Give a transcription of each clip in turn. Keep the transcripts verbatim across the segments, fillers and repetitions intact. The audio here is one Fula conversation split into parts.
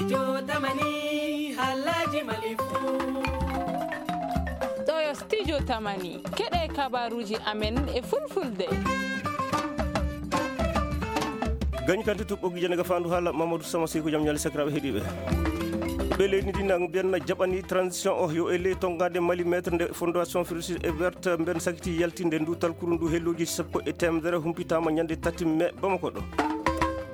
Jotamani, halaji malifu. Ɗo yo Studio Tamani, keɗe kabaruji amen e fulfulde. Gañi kante tuɓɓogi jene ga fandu haala Mamadou Sama Sey ko jam ñaali sakiraɓe heɗiɓe. Ɓe leydi ndi na mbiyanna jaɓani transition o yo e ley tongade Mali maître nde fondation Fructis et Verte mben sakiti yaltinde ndu talkuru ndu helloji sappo e temedere humpitama ñande tati mai Bamako ɗo.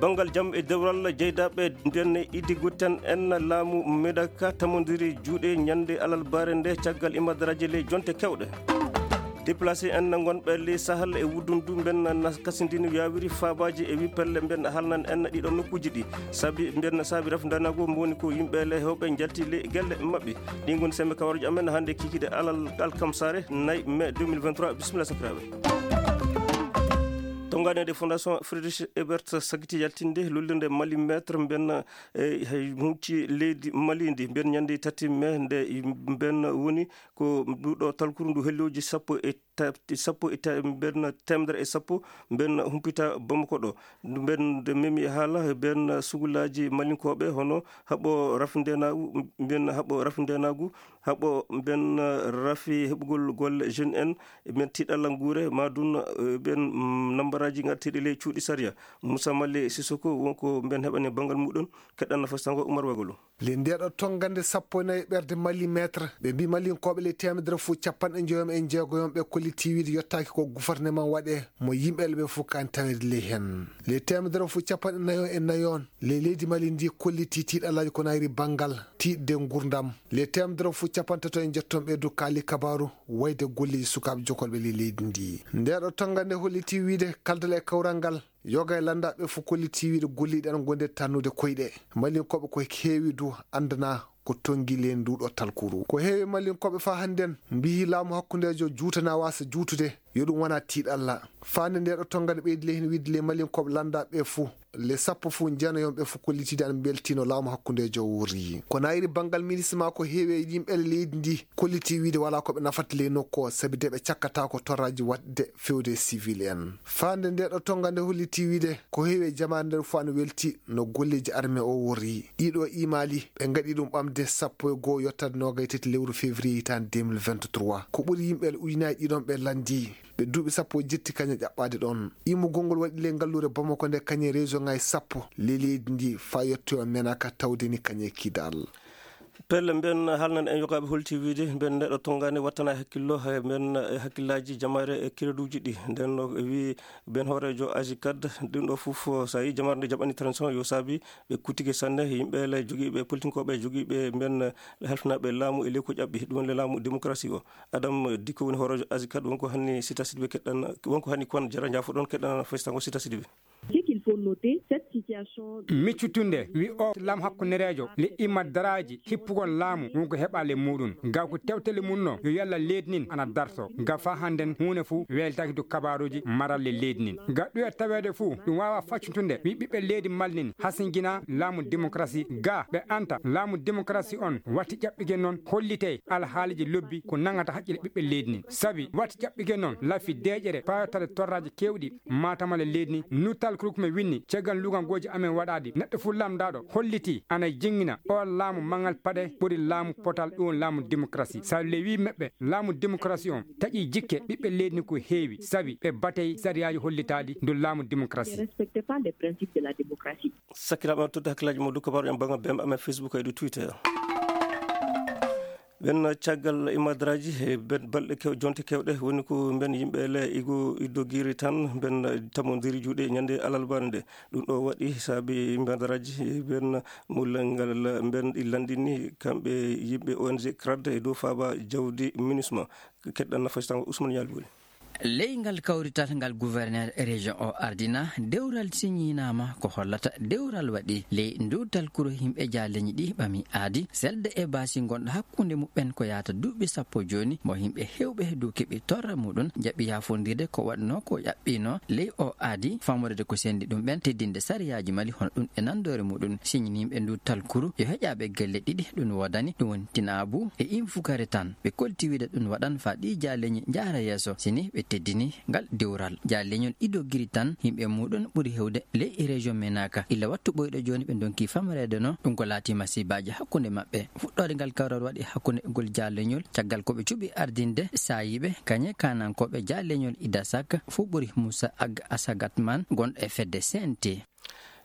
Banngal jam e dewral jeydaɓe nden iddi gutten en laamu Medaka tamodiri juuɗe ñande alalbare nde caggal imadaraji ley jonte kewɗe. Déplacé en gonɓe ley Sahel e wuddundu mben na kasindini yawiri fabaji e wi pelle mben halnan en ɗiɗo nokkuji ɗi. Sabi mben saabi rafdanago moni ko yimɓe le hewɓe jalti ley gelle maɓɓe. Ɗi ngoni sembe kawarji amen hande kikide alal alkamsare nay mai deux mille vingt-trois. Bismillah sakiraɓe. Tonganede Fondation Friedrich Ebert sagiti yaltinde lullunde Mali maître mben e hucci leydi Mali ndi mben ñande tati mai nde mben woni ko nduɗo talkuru ndu helloji sappo e ta- sappo e ta- mben temedere e sappo mben humpita Bamako ɗo. Mben nde memi e haala mben sugulaji malinkoɓe hono haɓo rafndenagu mben haɓo rafndenagu haɓo mben rafi heɓugol golle jeune en mben tiɗalla nguure madun mben nambaraji gartiɗi ley cuuɗi sariya. Moussa Mali Sissoko wonko mben heɓani banngal muɗum. Keɗɗan nafas tango Umar Wagolo. Le ndeɗo tongande sappo e nayi ɓerde Mali maître ɓe mbi malinkoɓe le temedere fuu capanɗe joyom e jeegoyom ɓe kolliti wiide yottaki ko gouvernement waɗe mo yimɓe le ɓe fuu kan tawede ley hen. Le temedere fuu capanɗe nayo e nayon le leydi Mali ndi kolliti tiɗalaji ko nayri banngal tiɗde ngurdam. Le temedere fuu capantato e jetton ɓe du kaali kabaru wayde golleji sukaɓe jokolɓe le leydi ndi. Ndeɗo tongande holliti wiide kaldal e kawral ngal yoga e lanndaɓe fof kolliti wiide golliɗi ana gonde tannude koyɗe malinkoɓe ko heewi du andana ko tongi le nduɗo talkuru ko heewi malinkoɓe fa hannden mbiyi laamu hakkundejo juutana wasa juutude yo ɗum wona tiiɗalla. Fande ndeɗo tongande ɓeydi le hen wiide le malinkoɓe lanndaɓe fof le sappo fof jeenoyonɓe fof kollitide ana beltino laamu hakkundejo wurri ko nayri banngal ministre ma ko heewi e yimɓe leydi ndi kolliti wiide wala koɓe nafata ley nokku o sabi de ɓe cakkata ko torraji waɗde fewde civil en. Fande ndeɗo tongande holliti wiide ko heewi e jamaare nder fof ana welti no golleji armée o worri ɗiɗo imali ɓe gaɗi ɗum ɓamde sappo e goho yottade noga e tati lewru février hitande deux mille vingt-trois ko ɓuri yimɓe ujunaji ɗiɗon ɓe landi ɓe duuɓi sappo jetti kaña ƴaɓɓade ɗon. Immugol ngol waɗi ley ngalluure Bamako nde kañe région ngaji sappo ley leydi ndi fa yettoyo menaka tawde ni kañe kidal. Pelle mben halnan en yogaɓe holti wiide mben neɗɗo tongani wattana hakkillo he mben e hakkillaji jamare e kireduji ɗi nden no wi ben hoorejo aji kad ɗum ɗo fof sa yi jamare nde jaɓani transition yo saabi ɓe kuttike sanne yimɓe le jogiiɓe politinkoɓe jogiiɓe mben halfinaɓe laamu e leyko ƴaɓɓi ɗum le laamu démocratie o. Adam dikko woni hoorejo aji kad wonko hanni sita sidiɓe keɗɗan wonko hanni kon jara jafo ɗon keɗɗan festango sita sidiɓe. Ce qu'il faut noter, cette situation. Miccutunde wi o lam hakkunderejo le imma daraji hippugol laamu wonko heɓale muɗum ga ko tewtele mum no yo yalla leydi nin ana darto ga fa hannden huunde fuu weltaki du kabaruji maralle leydi nin ga ɗuya tawede fuu ɗum wawa faccutude wi ɓiɓɓe leydi malnin hasingina laamu démocratie ga ɓe anta laamu démocratie on watti ƴaɓɓige noon hollite alhaaliji lobbi ko nangata haqqille ɓiɓɓe leydi nin sabi watti ƴaɓɓige noon lafi deeƴere payotade torraji kewɗi matamale leydi ni nuttal kurkume winni caggal lugangoji amen waɗaɗi neɗɗo fuu lamdaɗo holliti ana jingina o laamu mangal paɗe ɓuri laamu potal ɗum laamu démocratie sa lewi meɓɓe laamu démocratie on taƴi jikke ɓiɓɓe leydi ni ko heewi sabi ɓe batey sariyaji hollitaɗi ndu laamu démocratie. Respecte pas les principes de la démocratie. Sakiraɓe on todde hakkillaji mo dukko baro en banga bemɓe amen Facebook e ɗo Twitter. Ɓen caggal imadraji e ben balɗe kew jonte kewɗe woni ko ben yimɓe le igo iddogiri tan ben tamodiri juuɗe ñande alalbare nde. Ɗum ɗo waɗi saabi imadraji ben mullal ngal ben ɗi landini kamɓe yimɓe O N G crad e dow faaba jawdi minusma. Keɗɗan nafasitango Ousmane Yalbuli. Ley ngal kawrital ngal gouverneur région o ardina dewral siñinaama ko hollata dewral waɗi ley ndu talkuro yimɓe jaaleñi ɗi ɓami aadi selde e baasi gonɗo hakkunde muɓɓen ko yahata duuɓi sappo jooni mo yimɓe hewɓe dow keɓi torra muɗum jaɓi yafondirde ko waɗno ko ƴaɓɓino ley o aadi famorede ko sendi ɗum ɓen teddinde sariyaaji mali hono ɗum e nanndore muɗum siñinimɓe ndu talkuru yo heƴaɓe gelle ɗiɗi ɗum wodani ɗum woni tinaabu e infukare tan ɓe kolti wiide ɗum waɗan fa ɗi jaaleñi njaara yeeso sini ɓe teddini ngal dewral. Jaa leñol ɗiɗo giri tan yimɓe muɗum ɓuri hewde ley région Menaka. Illa wattu ɓoyɗo jooni ɓe ndonki famareede no ɗum ko laati masibaaji hakkunde maɓɓe. Fuɗɗoode ngal kawral waɗi hakkunde ngol jaa leñol caggal ko ɓe cuɓi ardinde saayiiɓe kañe kanankooɓe jaa leñol Idasak fof ɓuri Moussa Ag Asagatman gonɗo e fedde C N T.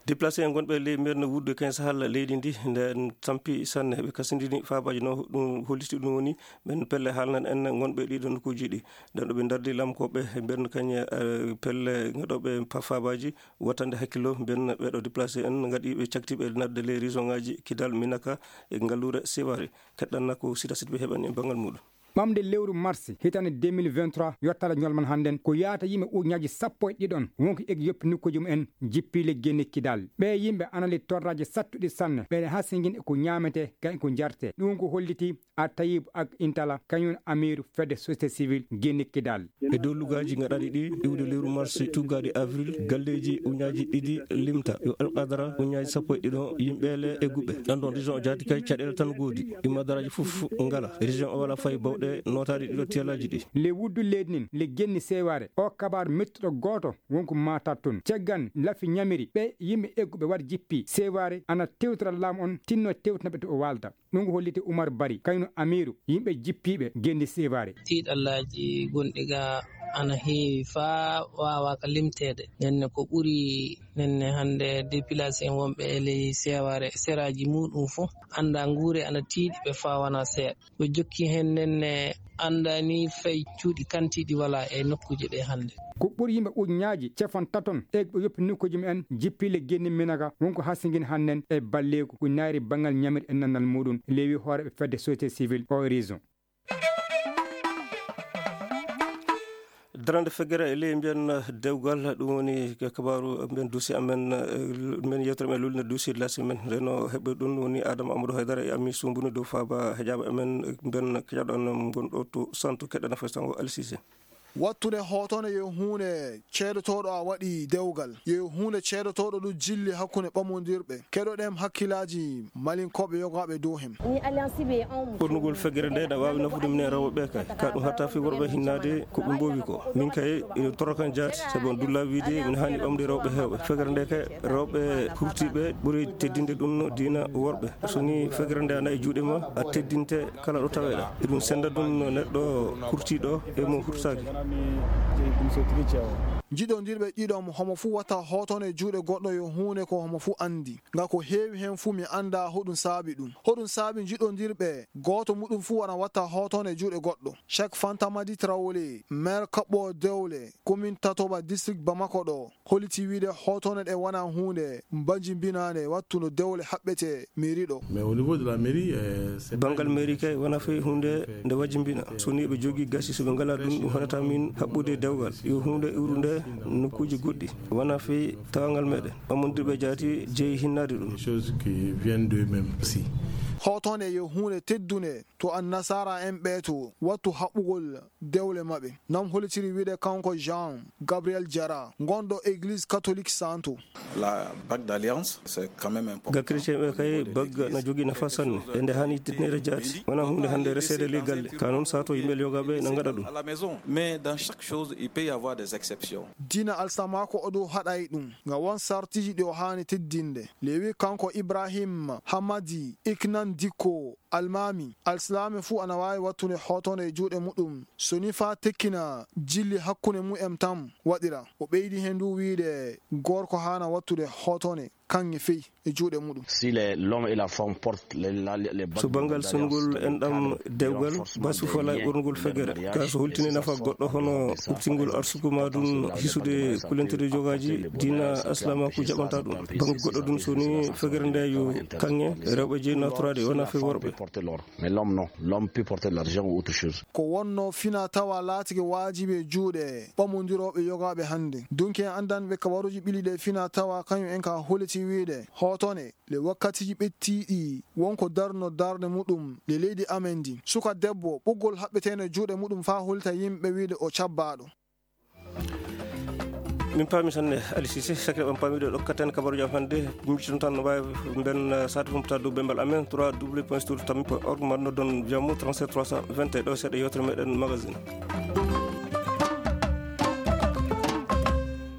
Déplacé en gonɓe ley mbeerna wudde ken sahal leydi ndi, nden tampi sanne, ɓe kasindini faabaaji no ɗum holliti ɗum woni ɓen pelle haalnan en gonɓe ɗiɗo nokkuuji ɗi. Nden ɗo ɓe ndardi lamkooɓe mbeerna kañ, eh, pelle ngaɗooɓe pa-, faabaaji wattande hakkillo mbeerna ɓeeɗo déplacé en ngaɗi ɓe cakti ɓe nadde ley région ŋaaji Kidal, Minaka e ngalluure Seware. Keɗɗanna ko sita sita ɓe heɓani e banngal muɗum. Ɓamde lewru mars hitande deux mille vingt-trois yottala ñolman hannden ko yaata yimɓe ujunnaaji sappo e ɗiɗon wonki eg yoppi nokkuuji mumen jippi le Guinée Kidal. Ɓee yimɓe ana ley torraaji sattuɗi sanne, ɓe hasingin e ko ñaamete kañ ko njarte. Ɗum ko holliti a Tayib ak Intala kañum amiiru fedde société civile Guinée Kidal. E dow lugaaji ngaɗaaɗi ɗi iwde lewru mars tuggaaɗi avril, galleeji ujunnaaji ɗiɗi limta yo alqadara ujunnaaji sappo e ɗiɗon yimɓeele e guɓe. Ɗan ɗon région o jaati kay caɗeele tan goodi. Ɗi madaraaji fof ngala. Région o wala fay bawɗe nootaaɗi ɗiɗo tiyalaaji ɗi. Le wuddu leydi nin, le genni seewaare. O kabaar mettuɗo gooto wonko maatat toon. Caggan lafi ñamiri ɓe yimɓe egguɓe waɗ jippi. Seewaare ana tewtora laamu on tinno tewtinaɓe to o waalda. Ɗum ko holliti Umar Bari, kayno amiiru yimɓe jippiiɓe genndi seewaare. Tiiɗallaaji gonɗi ga ana heewi faa waawaaka limteede. Nenne ko ɓuri nenne hannde dépilation wonɓe e ley seewaare seraaji muuɗum fof annda nguure ana tiiɗi ɓe faa wona seeɗa. Ko jokki heen nenne annda ni fay cuuɗi kantiiɗi wala e nokkuuje ɗe hannde. Ko ɓuri yimɓe ujunnaaji cefon taton e ko yoppi nokkuuji mumen jippile genni Minaga wonko hasingin hannden e balleeku ko naayri banngal ñamiri e nannal muuɗum, leewi hooreeɓe fedde société civile o région. Darande feggere e ley mbiyen dewgal, ɗum woni kabaaru mbiyen dossier amen, eh, men yewtere men lulnde dossier de la semaine. Reno heɓɓe ɗum woni Adama Amadou Haydara e Ami Sumbuni dow faaba heƴaaba amen mbiyen keƴaɗo amen ngon ɗo to santo keɗɗana fay sango Alisise. Wattude hootone yo huunde ceedotooɗo a waɗi dewgal, yo huunde ceedotooɗo ɗum jilli hakkunde ɓamondirɓe. Keɗoɗen hakkillaaji malinkooɓe yogaaɓe dow hem. Ɓurnugol feggere nde na waawi nafude minen rewɓe ɓe kay. Ka ɗum hatta fii worɓe hinnaade ko ɓe mboowi ko. Min kay, ina torokan jaati, sabu on dulla wiide min haani ɓamde rewɓe heewɓe. Feggere nde kay, rewɓe hurtiiɓe ɓuri teddinde ɗum no diina worɓe. So ni feggere nde ana e juuɗe ma, a teddinte kala ɗo taweɗa. Eɗum senda ɗum no neɗɗo kurtiɗo e mo hurtaki. Jiɗondirɓe ɗiɗo mo homo fuu wata hootone juuɗe goɗɗo yo huunde ko homo fuu andi. Nga ko heewi heen fuu mi anda hoɗum saabi ɗum. Hoɗum saabi jiɗondirɓe gooto muɗum fuu wana wata hootone juuɗe goɗɗo. Cheikh Fanta Madi Traoré, maire Kaɓɓo Dewle, commune Tatoba, district Bamako ɗo. Holliti wiide hootone ɗe wona huunde mbajimbinaande wattu no dewle haɓɓete mairie ɗo. Mais au niveau de la mairie, euh, c'est banngal mairie kay wona fii huunde nde wajimbina. So ni ɓe jogii gasi, so ɓe ngalaa ɗum, ɗum haɗata min haɓɓude dewgal. Yo huunde iwru nde nokkuuji goɗɗi. Wona fii tawangal meɗen. Ɓamondirɓe jaati jeyi hinnaade ɗum. Des choses qui viennent d'eux-mêmes aussi. Hootone yo huunde teddunde to annasaara en ɓeeto wattu haɓɓugol dewle maɓɓe. Nam hollitiri wiide kanko Jean Gabriel Diarra, gonɗo église catholique Santo. La bague d'alliance, c'est quand même important. Ga chrétien ɓe kay, bague na jogii nafa sanne. E nde haani teddinede jaati. Wona huunde hannde reseede ley galle. Ka noon sato yimɓe yogaaɓe na ngaɗa ɗum. À la maison. Mais dans chaque chose, il peut y avoir des exceptions. Diina alsamaako o ɗo haɗay ɗum. Nga won sartiji ɗi o haani teddinde. Lewi kanko Ibrahim Hamadi Iknan Dikko Almaami, alsilaame fuu ana waawi wattude hootone e juuɗe muɗum, so ni faa tekkina jilli hakkunde mu'en tan waɗira. O ɓeydi heen du wiide gorko haana wattude hootone kaŋŋe fey e juuɗe muɗum. Si les, l'homme et la femme portent les, la, les, les bagues. So banngal songol enɗam dewgal, basu falaa e ɓornugol feggere. Ka so holtini nafa goɗɗo hono ɓurtingol arsuku ma ɗum hisude kulenteɗe jogaaji, diina aslaamaaku jaɓanta ɗum. Bannge goɗɗo ɗum so ni feggere nde yo kaŋŋe, rewɓe jeyi naatoraade wona fii worɓe. Mais l'homme, non. L'homme peut porter l'argent ou autre chose. Ko wonno fina tawa laatike waajibi e juuɗe ɓamondirooɓe yogaaɓe hannde. Dunke en anndanɓe kabaruuji ɓili ɗe fina tawa kañum en ka holliti wiide hootone le wakkatiiji ɓettiiɗi wonko darno darnde muɗum le leydi amen ndi. Suka debbo ɓoggol haɓɓeteene juuɗe muɗum faa hollita yimɓe wiide o cabbaaɗo. Min paami sanne, Ali Cissé, sakiraaɓe am paamiiɗo ɗokkaten kabaruuji am hannde, micciton tan no mbaawi mben, eh, saati humpita dow bembal amen, trois W point studio tammi point org, ma noddon Viamo trente-sept trois cent vingt et un, ɗo seeɗa yewtere meɗen magazine.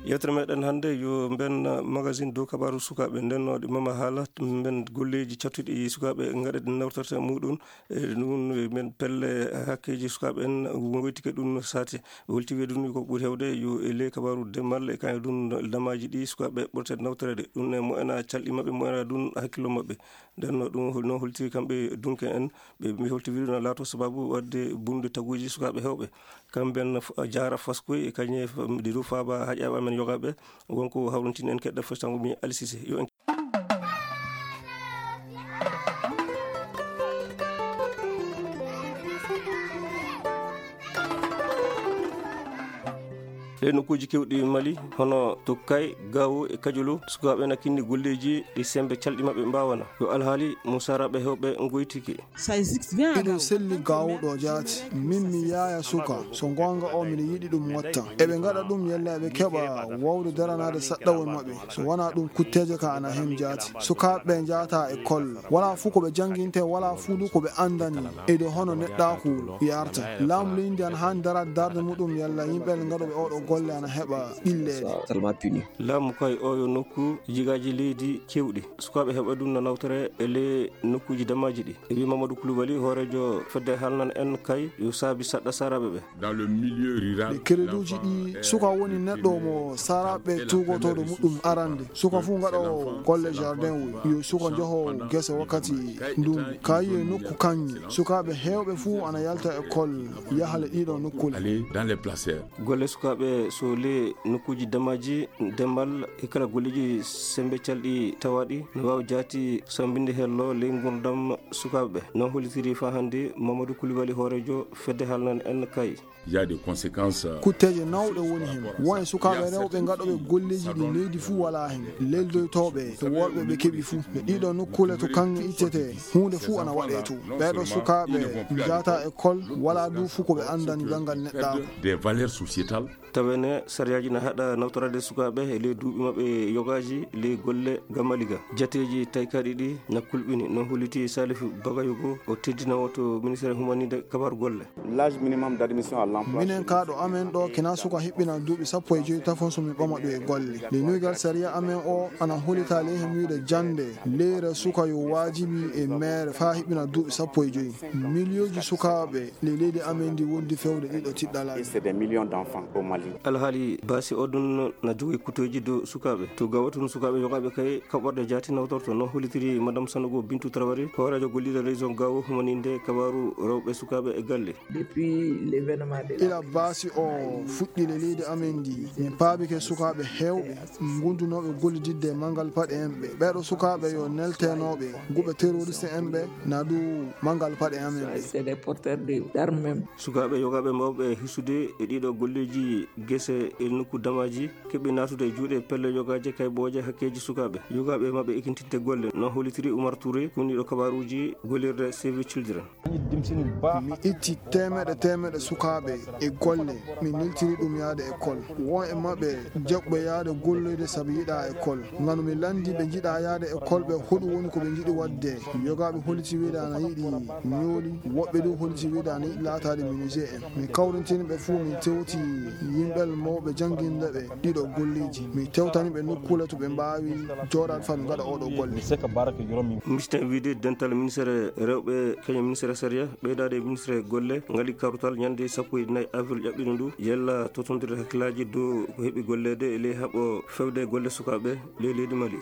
Yewtere meɗen hannde yo mben magazine dow kabaaru sukaaɓe ndennooɗe mama haala mben golleeji cattuɗi sukaaɓe ngaɗa ɗi nawtorta muɗum. E ɗum men pelle hakkeeji sukaaɓe en ngoytike ɗum saate. Holti wiye ɗum ko ɓuri hewde yo e ley kabaaru demal e kañum ɗum damaji ɗi sukaaɓe ɓurte nawtorede. Ɗum e moyena calɗi maɓɓe, moyena ɗum hakkillo maɓɓe. Nden no ɗum no holti kamɓe dunke en, ɓe mbi holti wiɗo no laato sababu wadde bunde taguji sukaaɓe hewɓe. Kamɓe en f-, jaara faskoy e kañe f-, ɗi ɗo faaba haƴaɓe amen yogaɓe. Wonko hawrintini en keɗɗa fostango mi Alisise. Yo en Ɗe nokkuuji kewɗi Mali, hono to Kay, Gawo e Kajolo, sukaaɓe na kinni golleeji ɗi sembe calɗi maɓɓe mbaawana. Yo alhaali mo saraaɓe hewɓe ngoytiki. Iɗum selli Gawo ɗo jaati. Min mi yaaya suka, so goonga o miɗo yiɗi ɗum watta. Eɓe ngaɗa ɗum yalla eɓe keɓa wawde daranaade saɗɗawol maɓɓe. So wonaa ɗum, kutteeje ka ana heen jaati. Sukaaɓe ɓe njaata e kolla. Wala fuu ko ɓe jannginte, wala fuu du ko ɓe anndani. E dow hono neɗɗaaku yarta. Laamu leydi ndi ana haani daraade darnde muɗum yalla yimɓe ngaɗooɓe oɗo golle ana heɓa ɓilleede. Laamu kay oyo nokku jigaaji leydi kewɗi. Sukaaɓe heɓa ɗum no nawtore e le nokkuuji damaaji ɗi. E wi Mamadou Koulibaly, hooreejo fedde halnan en kay, yo saabi saɗɗa saraaɓe ɓe. Dans le milieu rural, ɗi kereduuji ɗi suka woni neɗɗo mo saraaɓe tugotooɗo muɗum arande. Suka fuu ngaɗoowo golle jardin woy. Yo suka njoho gese wakkati ndungu. Kayi e nokku kaŋŋe. Sukaaɓe heewɓe fuu ana yalta école yaha le ɗiɗo nokkuule. Aller dans les placers. Golle sukaaɓe so le nokkuuji damaaji, demal e kala golleeji sembe calɗi tawaaɗi no waawi jaati sambinde hello ley ngurdam sukaaɓe ɓe. No hollitiri faa hannde Mamadou Koulibaly, hooreejo fedde halnan en kay. Il y a des conséquences, euh, kutteeje nawɗe woni heen. Won e sukaaɓe rewɓe ngaɗooɓe golleeji ɗi leydi fuu walaa heen. Leldoytooɓe e worɓe ɓe keɓi fuu. E ɗiɗo nokkuule to kaŋŋe ittetee, huunde fuu ana waɗee to. Ɓeeɗo sukaaɓe njaata école, walaa du fuu ko ɓe anndani banngal neɗɗaaku. Des valeurs sociétales. Tawene sariyaaji na haɗa nawtoraade sukaaɓe e ley duuɓi maɓɓe yogaaji ley golle gamaliga. Jateeji taykaaɗi ɗi na kulɓini, no holliti Salif Bagayoko, o teddinoowo to ministère humaninde kabar golle. L'âge minimum d'admission à l'emploi. Minen ka ɗo amen ɗo kina suka hiɓɓina duuɓi sappo e joy tafon so mi ɓama ɗum e golle. Le nuygal sariya amen o ana hollita ley hen wiide jannde leyre suka yo waajibi e meere faa hiɓɓina duuɓi sappo e joy. Miliyooji sukaaɓe ley leydi amen ndi wondi fewde ɗiɗo tiɗɗalaaji. Et c'est des millions d'enfants au Mali. Alhaali baasi o ɗum na jogii kutoji dow sukaaɓe. To gawa tun sukaaɓe yogaaɓe kay kaɓorɗe jaati nawtorto, no hollitiri Madame Sanogo Bintu Traoré, hooreejo golliiɗo région Gawo, humaninde kabaaru rewɓe sukaaɓe e galle. Depuis l'événement de la Ila baasi o fuɗɗi le leydi amen ndi, min paabike sukaaɓe heewɓe ngundunooɓe gollididde e manngal paɗe en ɓe. Ɓeeɗo sukaaɓe yo nelteenooɓe guɓe terroriste en ɓe, na du manngal paɗe amen ɓe. C'est des porteurs de d'armes même. Sukaaɓe yogaaɓe mawɓe hisude e ɗiɗo golleeji gese e nokku damaaji, keɓi naatude e juuɗe pelle yogaaje kaybooje hakkeeji sukaaɓe. Yogaaɓe maɓɓe ekintinde golle, no hollitiri Oumar Touré, kuniɗo kabaaruuji gollirde Save Children. Mi itti teemeɗe teemeɗe sukaaɓe e golle, mi neltiri ɗum yahde école. Won e maɓɓe jaɓɓo yahde golloyde sabu yiɗa école. Ngam mi lanndi ɓe njiɗa yahde école ɓe, hoɗum woni ko ɓe njiɗi waɗde. Yogaaɓe holliti wiide ana yiɗi ñooli, woɓɓe du holliti wiide ana yiɗi laataade menuisier en. Mi kawrintini ɓe fuu, mi tewti yimɓe mawɓe jannginde ɓe ɗiɗo golleeji. Mi tewtani ɓe nokkuule to ɓe mbaawi jooɗaade faa ɓe ngaɗa oɗo golle. Misten wiide dental ministere rewɓe, kañum ministere sariya, ɓeydaade e ministere golle, ngali karutal ñande sappo e nayi avril ƴaɓɓino ndu, yella totondirde hakkillaaji dow ko heɓi golleede e ley haɓo fewde golle sukaaɓe ley leydi Mali.